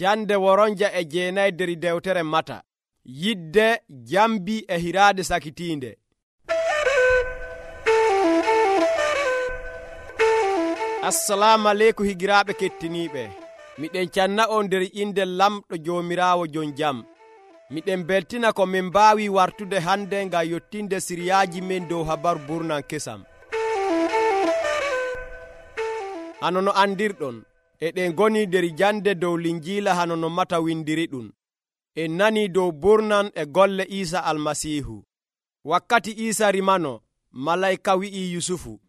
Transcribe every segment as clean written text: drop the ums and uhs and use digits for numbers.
Jande woronja e jeenayi der dewtere Mata. Yidde, jambi e hiraade sakitiinde. Assalamu aleykum higiraaɓe kettiniiɓe. Miɗen canna on nder inde lamɗo Joomiraawo jon jam. Miɗen beltina ko min mbaawi wartude hande ngam yottinde siriyaaji men dow habaru burnan kesam. Hano no andirɗon, eɗen goni nder jande dow linjiila hano no Mata windiri ɗum. En nani dow burnan e golle Iisa almasiihu. Wakkati Iisa rimano, malayka wi'i Yusufu,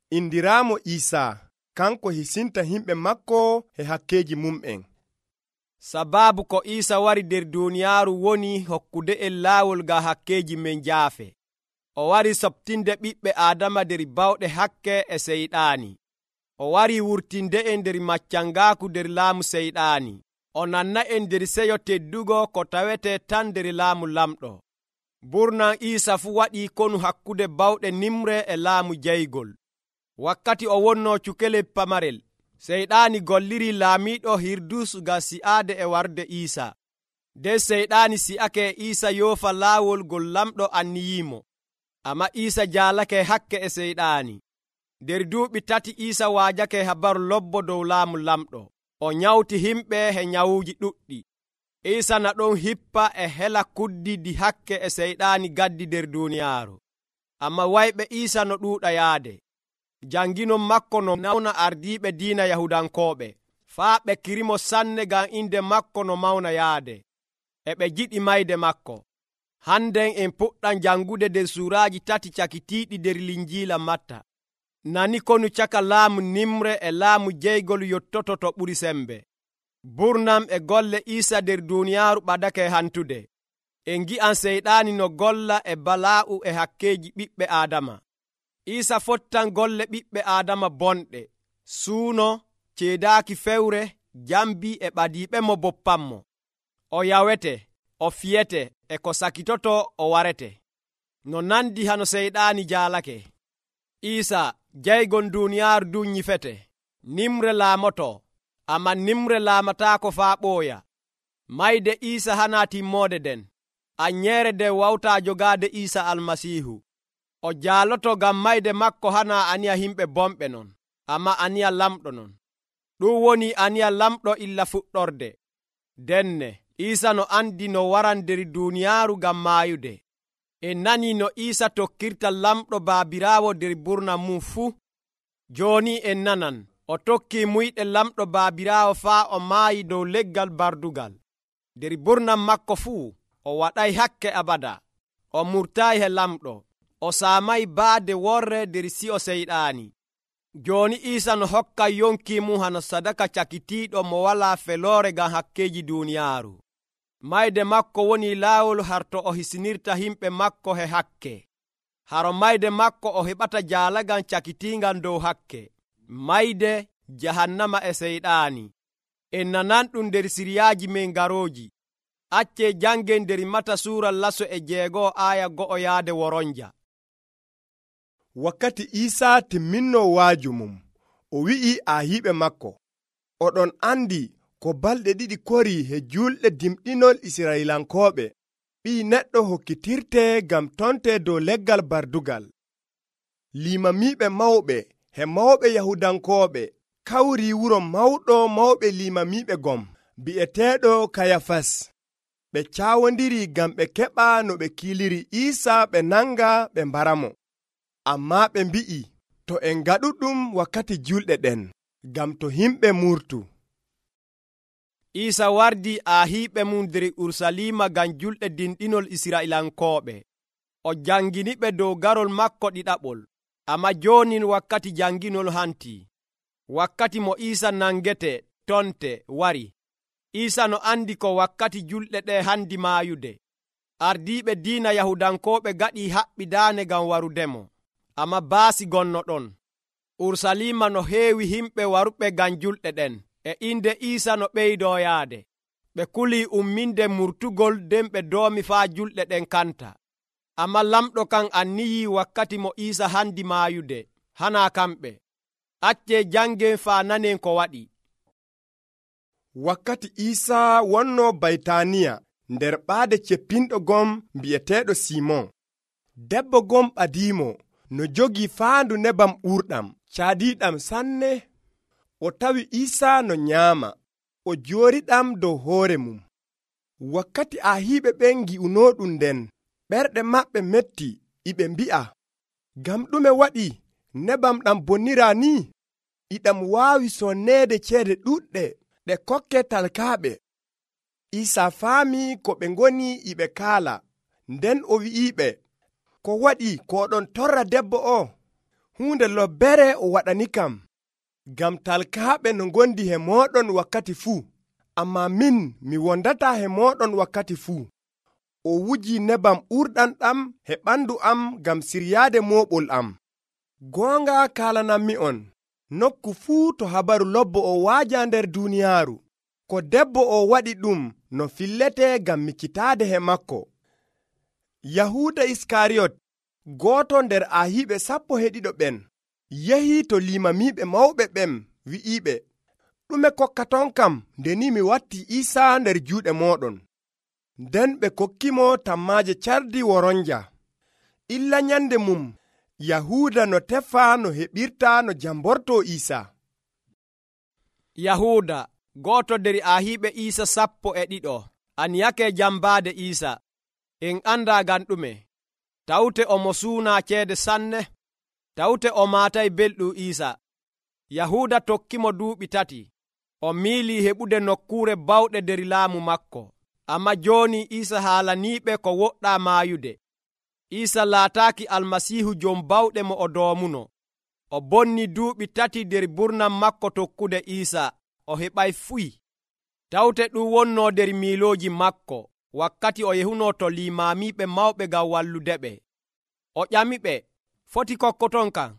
indiraamo Iisaa, kanko hisinta himɓe makko e hakkeji mum'en. Sababu ko Iisa wari nder duuniyaaru woni hokkude en laawol ga hakkeji men jaafe. O wari soɓtinde ɓiɓɓe Aadama nder bawɗe hakke e seyɗaani. O wari wurtinde en nder maccangaaku nder laamu seyɗaani. O nanna en nder seyo teddugo ko tawete tan nder laamu lamɗo. Burnan Iisa fu waɗii konu hakkude bawɗe nimre e laamu jeygol. Wakkati o wonno cukele pamarel, seyɗaani golliri laamiiɗo Hirdus ngam si'aade e warde Iisa. Nden seyɗaani si'ake Iisa yoofa laawol ngol lamɗo anniyiimo. Amma Iisa jaalake hakke e seyɗaani. Nder duuɓi 3 Iisa waajake habaru lobbo dow laamu lamɗo. O nyawti himɓe e nyawuuji ɗuɗɗi. Iisa na ɗon hippa e hela kuddidi hakke e seyɗaani gaddi nder duuniyaaru. Amma wayɓe Iisa no ɗuuɗa yaade. Janginon makko no nawna ardiiɓe diina Yahudankooɓe, faa ɓe kirimo sanne ngam inde makko no mawna yaade. E ɓe jiɗi mayde makko. Hannden en puɗɗan jangude nder suuraaji 3 cakitiiɗi nder linjiila Matta. Nani konu caka laamu nimre e laamu jeygol yottoto to ɓuri sembe. Burnam e golle Iisa nder duuniyaaru ɓadake hantude. En gi'an seyɗaani no golla e balaa'u e hakkeji ɓiɓɓe Aadama. Iisa fottan golle ɓiɓɓe Aadama bonɗe, suuno, ceedaaki fewre, jambi e ɓadiiɓe mo boppanmo. O yawete, o fiyete, e ko sakitoto o warete. No nandi hano seyɗaani jaalake. Iisa jeygol duuniyaaru du nyifete. Nimre laamoto, amma nimre laamataako faa ɓooya. Mayde Iisa hana timmoode den. Anyeere nden wawtaa jogaade Iisa almasiihu. O jaaloto ngam mayde makko hana aniya himɓe bomɓe non, amma aniya lamɗo non. Ɗum woni aniya lamɗo illa fuɗɗorde. Denne, Iisa no andi no waran nder duuniyaaru ngam maayude. En nani no Iisa tokkirta lamɗo baabiraawo nder burna mum fuu. Jooni en nanan, o tokki muyɗe lamɗo baabiraawo faa o maayi dow leggal bardugal. Nder burnan makko fuu, o waɗay hakke abada. O murtaayi he lamɗo. O saamay baade worre nder si'o seyɗaani. Jooni Iisa no hokka yonki mum hano sadaka cakitiiɗo mo walaa feloore ngam hakkeji duuniyaaru. Mayde makko woni laawol harto o hisinirta himɓe makko he hakke. Haro mayde makko o heɓata jaalagal cakitiingal dow hakke. Mayde jahannama e seyɗaani. En nanan ɗum nder siriyaaji men garooji. Accee jangen nder Mata suura 6 aya 1 yaade woronja. Wakkati Iisaa timminno waaju mum, o wi'i aahiɓe makko, oɗon andi ko balɗe 2 kori he julɗe dimɗinol Israilankooɓe, ɓii neɗɗo hokkitirte ngam tonte dow leggal bardugal. Limamiiɓe mawɓe he mawɓe Yahudankooɓe kawri wuro mawɗo mawɓe limamiiɓe gom, bi'eteeɗo Kayafas. Ɓe caawondiri ngam ɓe keɓa no ɓe kiiliri Iisaa ɓe nanga ɓe mbaramo. Ammaa ɓe mbi'i, to en ngaɗu ɗum wakkati julɗe ɗen, ngam to himɓe murtu. Iisa wardi aahiɓe mum nder Urusalima ngam julɗe dinɗinol Israilankooɓe. O janginiɓe dow garol makko ɗiɗaɓol. Amma jooni wakkati janginol hantii. Wakkati mo Iisa nangete tonte wari. Iisa no andi ko wakkati julɗe ɗe handi maayude. Ardiiɓe diina Yahudankooɓe gaɗi haɓɓidaane ngam warudemo. Amma baasi gonno ɗon. Urusalima no heewi himɓe waruɓe ngam julɗe ɗen. E inde Iisa no ɓeydoo yaade. Ɓe kulii umminde murtugol nden ɓe doomi faa julɗe ɗen kanta. Amma lamɗo kan anniyii wakkati mo Iisa handi maayude. Hana kamɓe. Accee jangen faa nanen ko waɗi. wakkati Iisaa wonno Baytaniya nder ɓaade ceppinɗo gom bi'eteeɗo Simon. Debbo gom ɓadiimo no jogii faandu nebam ɓurɗam caadiiɗam sanne. O tawi Iisaa no nyaama, o jooriɗam dow hoore mum. Wakkati ahiiɓe ɓen ngi'unooɗum nden, ɓerɗe maɓɓe metti, iɓe mbi'a, ngam ɗume waɗi nebam ɗam bonniraa ni? Iɗam waawi sonneede ceede ɗuɗɗe ɗe kokke talkaaɓe. Iisaa faami ko ɓe ngoni iɓe kaala, nden o wi'iɓe, ko waɗi ko oɗon torra debbo o? Huunde lobbere o waɗanikam, ngam talkaaɓe no ngondi he mooɗon wakkati fuu, ammaa min mi wondataa he mooɗon wakkati fuu. O wuji nebam ɓurɗam ɗam he ɓandu am ngam siryaade mooɓol am. Goonga kaalanammi'on, nokku fuu to habaru lobbo o waaja nder duuniyaaru, ko debbo o waɗi ɗum no fillete ngam miccitaade he makko. Yahuuda Iskariyot, gooto nder ahiiɓe 12 ɓen, yehi to limamiiɓe mawɓe ɓen wi'iɓe, ɗume kokkaton kam nde ni mi watti Iisaa nder juuɗe mooɗon? Nden ɓe kokkimo tammaaje cardi woronja. Illa nyande mum, Yahuuda no tefa no heɓirta no jamborto Iisaa. Yahuuda, gooto nder ahiiɓe Iisaa 12, aniyake jambaade Iisaa. En anda ngam ɗume. Tawte omo suuna ceede sanne, tawte o maatay belɗum Iisaa. Yahuuda tokkimo duuɓi 3, o miilii heɓude nokkuure bawɗe nder laamu makko. Amma jooni Iisaa haalaniiɓe ko woɗɗaa maayude. Iisaa laataaki Almasiihu jom bawɗe mo o doomuno. O bonni duuɓi 3 nder burnam makko tokkude Iisaa, o heɓay fuyi. Tawte ɗum wonnoo nder miilooji makko wakkati o yehunoo to limaamiiɓe mawɓe ngam walludeɓe. O ƴamiɓe, foti kokkoton kam?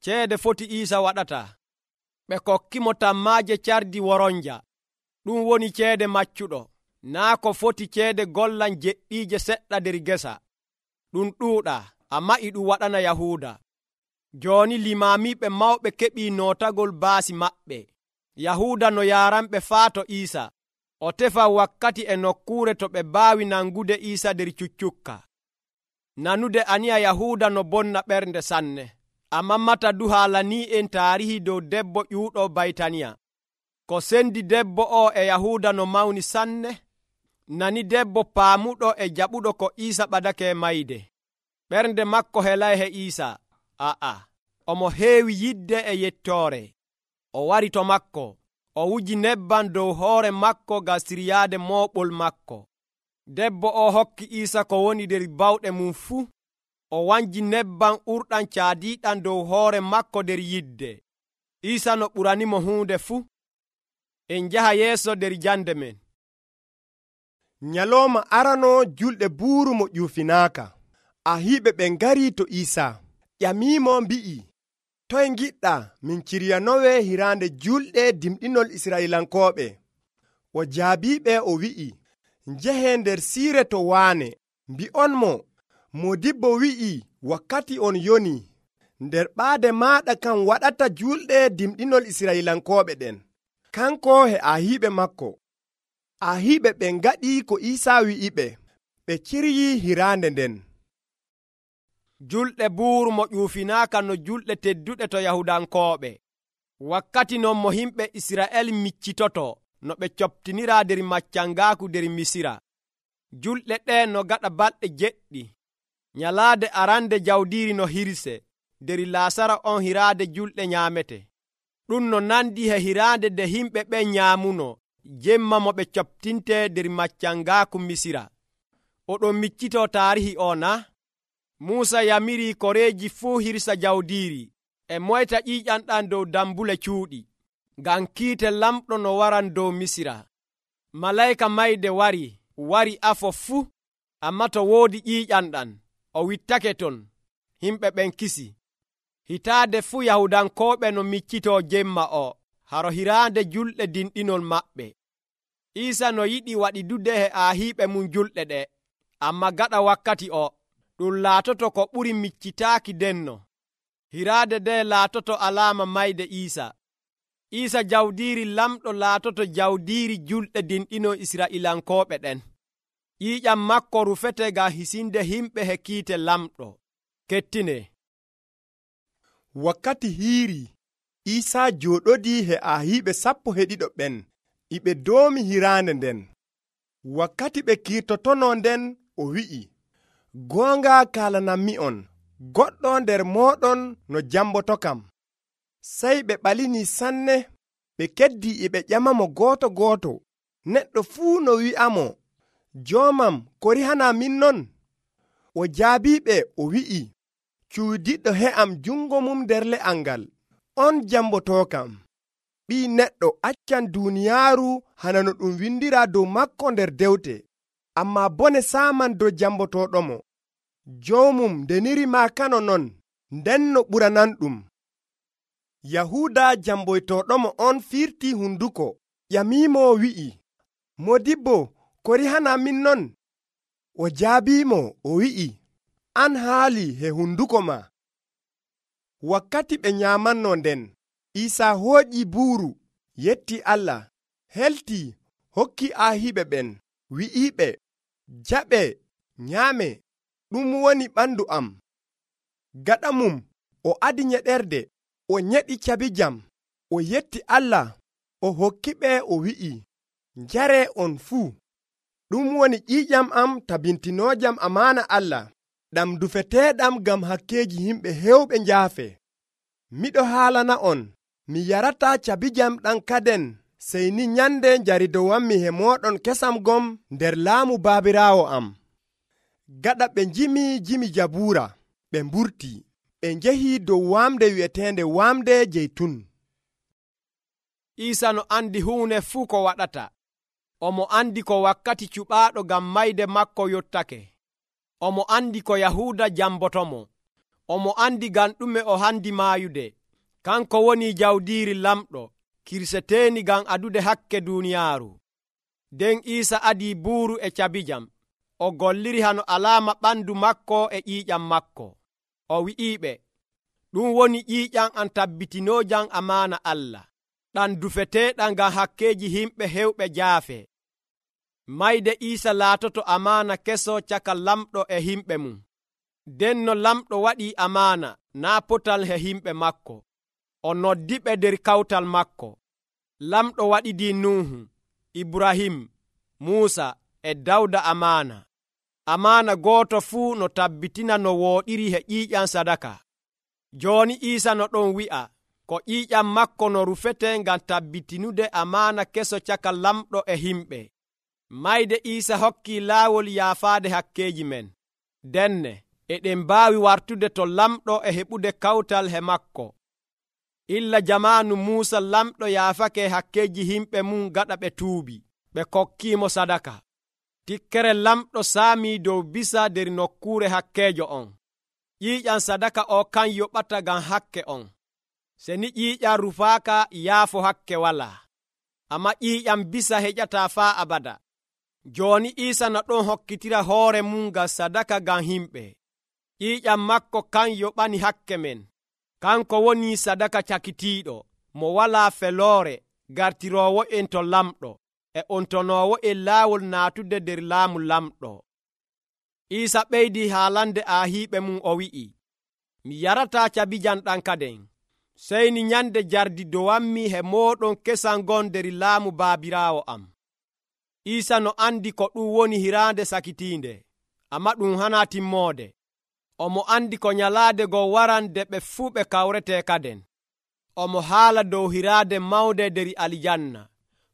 Ceede foti Iisaa waɗata. Ɓe kokkimo tammaaje cardi woronja. Ɗum woni ceede maccuɗo, naa ko foti ceede gollan jeɗɗiije seɗɗa nder gesa. Ɗum ɗuuɗaa, ammaa e ɗum waɗana Yahuuda. Jooni limaamiiɓe mawɓe keɓii nootagol baasi maɓɓe. Yahuuda no yaaranɓe faa to Iisaa. O tefa wakkati e nokkuure to ɓe mbaawi nangude Iisaa nder cuccukka. Nanude aniya Yahuuda no bonna ɓernde sanne. Ammaa mata du haalanii en taarihi dow debbo ƴuuɗo Baytaniya. Ko sendi debbo o e Yahuuda no mawni sanne. Nani debbo paamuɗo e jaɓuɗo ko Iisaa ɓadake mayde. Ɓernde makko helay he Iisaa. Omo heewi yidde e yettoore. O wari to makko. O wuji nebbam dow hoore makko ngam siryaade mooɓol makko. Debbo o hokki Iisaa ko woni nder bawɗe mum fuu. O wanji nebbam ɓurɗam caadiiɗam dow hoore makko nder yidde. Iisaa no ɓuranimo huunde fuu. En njaha yeeso nder jande men. Nyalooma arano julɗe buuru mo ƴuufinaaka, ahiiɓe ɓen ngari to Iisaa, ƴamiimo mbi'i, toye ngiɗɗaa min ciryanowe hiraande julɗe dimɗinol Israilankooɓe? O jaabiiɓe o wi'i, njehe nder siire to waane, mbi'onmo, Moodibbo wi'i wakkati on yoni, nder ɓaade maaɗa kan waɗata julɗe dimɗinol Israilankooɓe ɗen, kanko he ahiiɓe makko. Ahiiɓe ɓen ngaɗi ko Iisaa wi'iɓe, ɓe ciryii hiraande nden. Julɗe buuru mo ƴuufinaaka no julɗe tedduɗe to Yahudankooɓe. Wakkati non mo himɓe Isra'el miccitoto no ɓe coptiniraa nder maccangaaku nder Misira. Julɗe ɗe no gaɗa balɗe 7. Nyalaade arande jawdiiri no hirse, nder Laasara on hiraade julɗe nyaamete. Ɗum no nandi he hiraande nde himɓe ɓen nyaamuno jemma mo ɓe coptinte nder maccangaaku Misira. Oɗon miccitoo taarihi o na? Muusa yamirii koreeji fuu hirsa jawdiiri e moyta ƴiiƴanɗan dow dambule cuuɗi, ngam kiite lamɗo no waran dow Misira. Malayka mayde wari afo fuu, ammaa to woodi ƴiiƴanɗan, o wittake ton. Himɓe ɓen kisi. Hitaade fuu Yahudankooɓe no miccitoo jemma o, haro hiraande julɗe dinɗinol maɓɓe. Iisaa no yiɗi waɗidude he ahiiɓe mum julɗe ɗe, ammaa gaɗa wakkati o, ɗum laatoto ko ɓuri miccitaaki denno. Hiraade nde laatoto alaama mayde Iisaa. Iisa jawdiiri lamɗo laatoto jawdiiri julɗe dinɗino Israa'ilankooɓe ɗen. ƴiiƴam makko rufete ngam hisinde himɓe he kiite lamɗo. Kettine. Wakkati hiiri, Iisaa jooɗodii he ahiiɓe 12 ɓen, ɓe doomi hiraande nden. Wakkati ɓe kiirtotonoo nden, o wi'i, goonga kaalanammi'on, goɗɗo nder mooɗon no jambotokam. Sey ɓe ɓalinii sanne, ɓe keddii ɓe ƴamamo gooto gooto, neɗɗo fuu no wi'amo, joomam, ko rihanaa min non? O jaabiiɓe o wi'i, cuudiɗɗo he'am jungo mum nder le'al ngal, on jambotookam. Ɓii neɗɗo accan duuniyaaru hana no ɗum windiraa dow makko nder dewte, ammaa bone saaman dow jambotooɗomo. Joomum ndeniri maakano non, nden no ɓurananɗum. Yahuuda jamboytooɗomo on firtii hunduko, ƴamiimo wi'i, Modibbo, ko rihanaa min non? O jaabiimo o wi'i, an haali he hunduko ma. Wakkati ɓe nyaamannoo nden, Iisaa hooƴii buuru, yetti Allah, heltii, hokki ahiiɓe ɓen, wi'iiɓe, jaɓe, nyaame, ɗum woni ɓandu am. Gaɗa mum, o adi nyeɗerde, o nyeɗi cabijam, o yetti Allah, o hokkiɓe o wi'i, njare on fuu. Ɗum woni ƴiiƴam am tabintinoojam amaana Allah, ɗam dufeteeɗam ngam hakkeeji himɓe hewɓe njaafe. Miɗo haalana on, mi yarataa cabijam ɗam kaden, sey ni nyande njaridowammi he mooɗon kesam gom nder laamu baabiraawo am. Gaɗa ɓe jimi Jabuura, ɓe mburtii, ɓe njehii dow waamde wi'eteende waamde Jeytun. Iisa no andi huune fuu ko waɗata. Omo andi ko wakkati cuɓaaɗo ngam mayde makko yottake. Omo andi ko Yahuuda jambotomo. Omo andi ngam ɗume o handi maayude. Kanko woni jawdiiri lamɗo, kirseteeni ngam adude hakke duuniyaaru. Nden Iisa adii buuru e cabijam. O golliri hano alaama ɓandu makko e ƴiiƴam makko. O wi'iiɓe, ɗum woni ƴiiƴam am tabbitinoojam amaana Allah, ɗam dufeteeɗam ngam hakkeeji himɓe hewɓe jaafe. Mayde Iisa laatoto amaana keso caka lamɗo e himɓe mum. Nden no lamɗo waɗii amaana naa potal he himɓe makko. O noddiɓe nder kawtal makko. Lamɗo waɗidii Nuhu, Ibrahim, Muusa e Dawda amaana. Amaana gooto fuu no tabbitina no wooɗiri he ƴiiƴam sadaka. Jooni Iisa no ɗon wi'a ko ƴiiƴam makko no rufete ngam tabbitinude amaana keso caka lamɗo e himɓe. Mayde Iisa hokkii laawol yaafaade hakkeeji men. Denne eɗen mbaawi wartude to lamɗo e heɓude kawtal he makko. Illa jamaanu Muusa lamɗo yaafake hakkeeji himɓe mum gaɗa ɓe tuubi, ɓe kokkiimo sadaka. Tikkere lamɗo saamii dow bisa nder nokkuure hakkeejo on. ƴiiƴam sadaka o kan yoɓata ngam hakke on. Se ni ƴiiƴam rufaaka yaafo hakke walaa. Amma ƴiiƴam bisa heƴataa faa abada. Jooni Iisa no ɗon hokkitira hoore mum ngam sadaka ngam himɓe. ƴiiƴam makko kan yoɓani hakke men. Kanko woni sadaka cakitiiɗo, mo walaa feloore, gartiroowo en to lamɗo, e ontonoowo en laawol naatude nder laamu lamɗo. Iisa ɓeydii haalande ahiiɓe mum o wi'i, mi yarataa cabijam ɗam kaden, sey ni nyande jardi dowammi he mooɗon kesam gon nder laamu baabiraawo am. Iisa no andi ko ɗum woni hiraande sakitiinde, amma ɗum hanaa timmoode. Omo andi ko nyalaade go warande ɓe fuu ɓe kawretee kaden. Omo haala dow hiraade mawnde nder aljanna.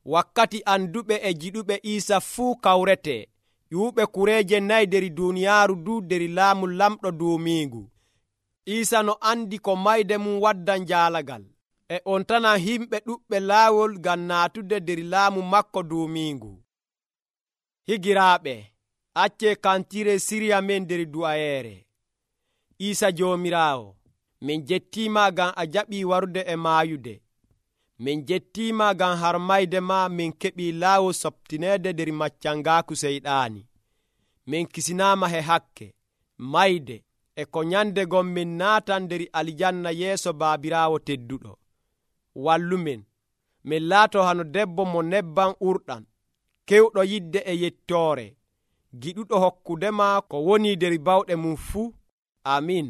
Wakkati anduɓe e jiɗuɓe Iisa fuu kawretee, ƴuuɓe kureeje 4 nder duuniyaaru du nder laamu lamɗo duumiingu. Iisa no andi ko mayde mum waddan jaalagal, e on tanan himɓe ɗuɓɓe laawol ngam naatude nder laamu makko duumiingu. Higiraaɓe, accee kantire siriya men nder du'ayeere. Iisa Joomiraawo, min jettiima ngam a jaɓii warude e maayude. Min jettiima ngam harmayde ma min keɓii laawol soptineede nder maccangaaku seyɗaani. Min kisinaama he hakke, mayde e ko nyande gon min naatan nder aljanna yeeso baabiraawo tedduɗo. Wallumen min laato hano debbo mo nebbam urɗam, kewɗo yidde e yettoore, giɗuɗo hokkudema ko woni der bawɗe mum fuu. Amin.